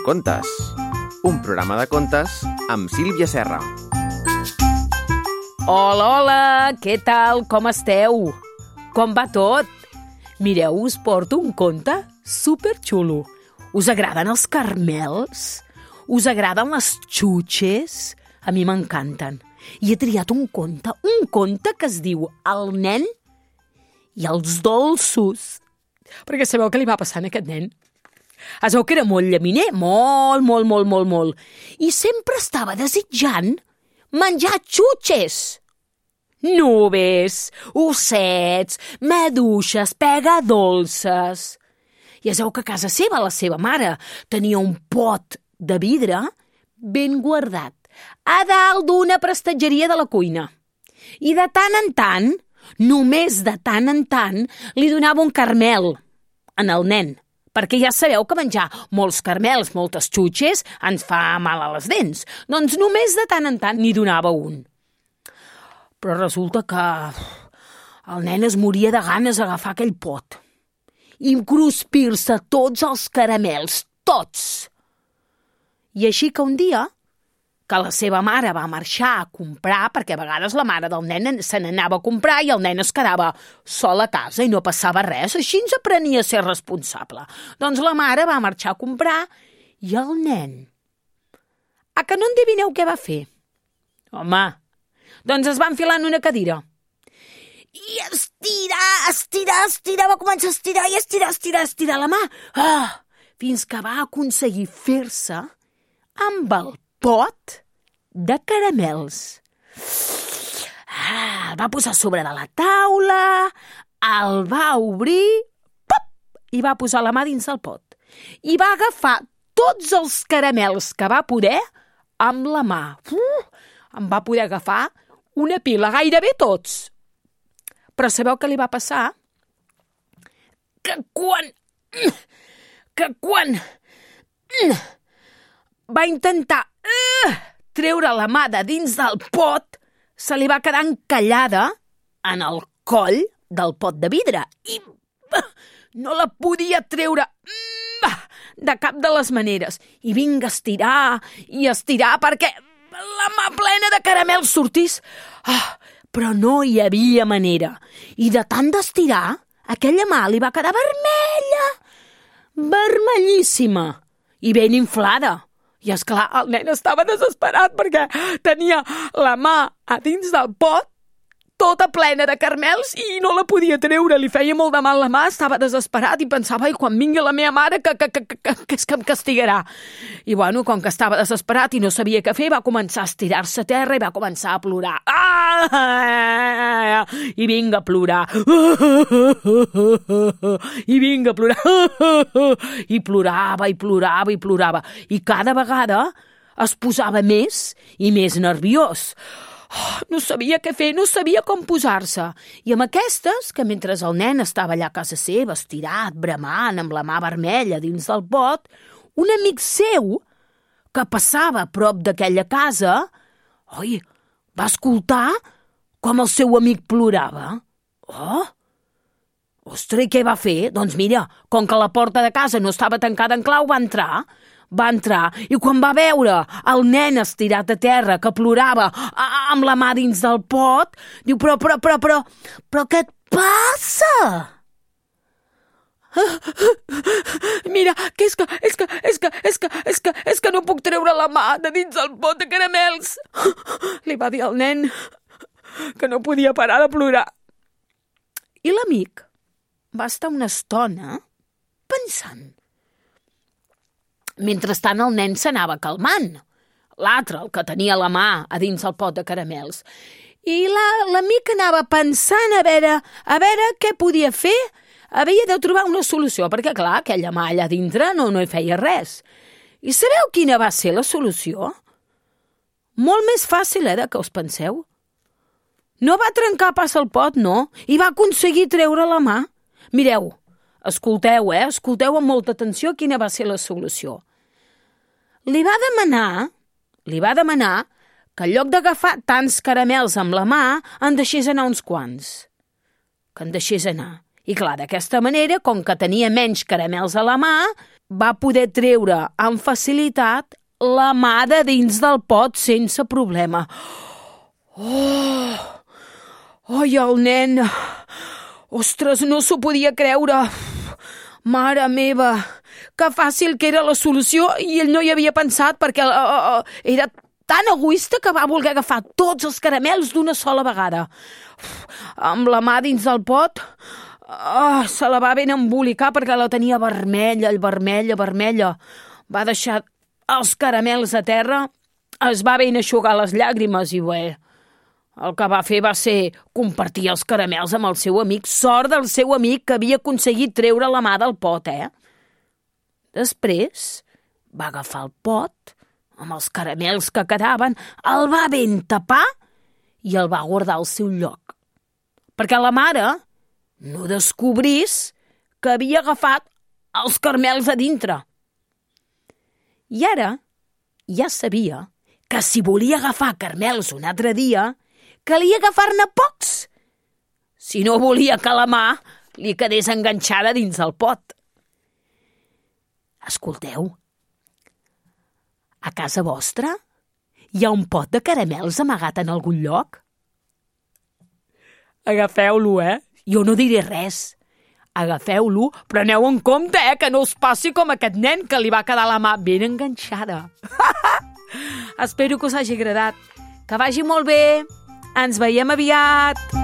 Contes, un programa de contes amb Sílvia Serra. Hola, hola, què tal? Com esteu? Com va tot? Mireu, us porto un conte superxulo. Us agraden els carmels? Us agraden les xutxes? A mi m'encanten. I he triat un conte que es diu El nen i els dolços. Perquè sabeu què li va passar a aquest nen? Es veu que era molt llaminer, molt. I sempre estava desitjant menjar xutxes. Nubes, ossets, maduixes, pegadolces. I es veu que a casa seva, la seva mare, tenia un pot de vidre ben guardat a dalt d'una prestatgeria de la cuina. I de tant en tant, només de tant en tant, li donava un carmel en el nen. Perquè ja sabeu que menjar molts carmels, moltes xutxes, ens fa mal a les dents. Doncs només de tant en tant n'hi donava un. Però resulta que el nen es moria de ganes d'agafar aquell pot i cruspir-se tots els caramels, tots. I així que un dia, que la seva mare va marxar a comprar, perquè a vegades la mare del nen se n'anava a comprar i el nen es quedava sol a casa i no passava res, així ens aprenia a ser responsable. Doncs la mare va marxar a comprar i el nen... A que no endevineu què va fer? Home, doncs es va enfilar en una cadira. I estirar, va començar a estirar i estirar la mà, fins que va aconseguir fer-se amb el pot de caramels. El va posar sobre de la taula, el va obrir, i va posar la mà dins del pot. I va agafar tots els caramels que va poder amb la mà. En va poder agafar una pila, gairebé tots. Però sabeu què li va passar? Que quan va intentar treure la mà de dins del pot, se li va quedar encallada en el coll del pot de vidre i no la podia treure de cap de les maneres. I vinga a estirar perquè la mà plena de caramels sortís. Però no hi havia manera. I de tant d'estirar, aquella mà li va quedar vermella, vermellíssima i ben inflada. I, esclar, el nen estava desesperat perquè tenia la mà a dins del pot, tota plena de carmels, i no la podia treure. Li feia molt de mal la mà, estava desesperat i pensava, quan vingui la meva mare, que és que em castigarà. I, bueno, com que estava desesperat i no sabia què fer, va començar a estirar-se a terra i va començar a plorar. I vinga a plorar. I vinga a plorar. I plorava. I cada vegada es posava més i més nerviós. No sabia què fer, no sabia com posar-se. I amb aquestes, que mentre el nen estava allà a casa seva, estirat, bramant, amb la mà vermella dins del pot, un amic seu, que passava a prop d'aquella casa, va escoltar com el seu amic plorava. Ostres, i què va fer? Doncs mira, com que la porta de casa no estava tancada en clau, va entrar, i quan va veure el nen estirat a terra que plorava amb la mà dins del pot, diu, però què et passa? Mira, que és que no puc treure la mà de dins del pot de caramels. Li va dir al nen que no podia parar de plorar. I l'amic va estar una estona pensant. Mentrestant el nen s'anava calmant. L'altre, el que tenia la mà a dins el pot de caramels. I l'amic anava pensant a veure què podia fer. Havia de trobar una solució, perquè clar, aquella mà allà dintre no hi feia res. I sabeu quina va ser la solució? Molt més fàcil, que us penseu. No va trencar pas el pot, no, i va aconseguir treure la mà. Mireu, escolteu amb molta atenció quina va ser la solució. Li va demanar que en lloc d'agafar tants caramels amb la mà, en deixés anar uns quants. Que en deixés anar. I clar, d'aquesta manera, com que tenia menys caramels a la mà, va poder treure amb facilitat la mà de dins del pot sense problema. Ai, el nen! Ostres, no s'ho podia creure! Mare meva! Que fàcil que era la solució i ell no hi havia pensat perquè era tan egoista que va voler agafar tots els caramels d'una sola vegada. Amb la mà dins del pot, se la va ben embolicar perquè la tenia vermella. Va deixar els caramels a terra, es va ben eixugar les llàgrimes i bé, el que va fer va ser compartir els caramels amb el seu amic. Sort del seu amic que havia aconseguit treure la mà del pot, Després va agafar el pot amb els caramels que quedaven, el va ben tapar i el va guardar al seu lloc. Perquè la mare no descobrís que havia agafat els caramels a dintre. I ara ja sabia que si volia agafar caramels un altre dia, calia agafar-ne pocs, si no volia que la mà li quedés enganxada dins el pot. Escolteu, a casa vostra hi ha un pot de caramels amagat en algun lloc? Agafeu-lo, Jo no diré res. Agafeu-lo, però aneu en compte, que no us passi com aquest nen que li va quedar la mà ben enganxada. Espero que us hagi agradat. Que vagi molt bé. Ens veiem aviat.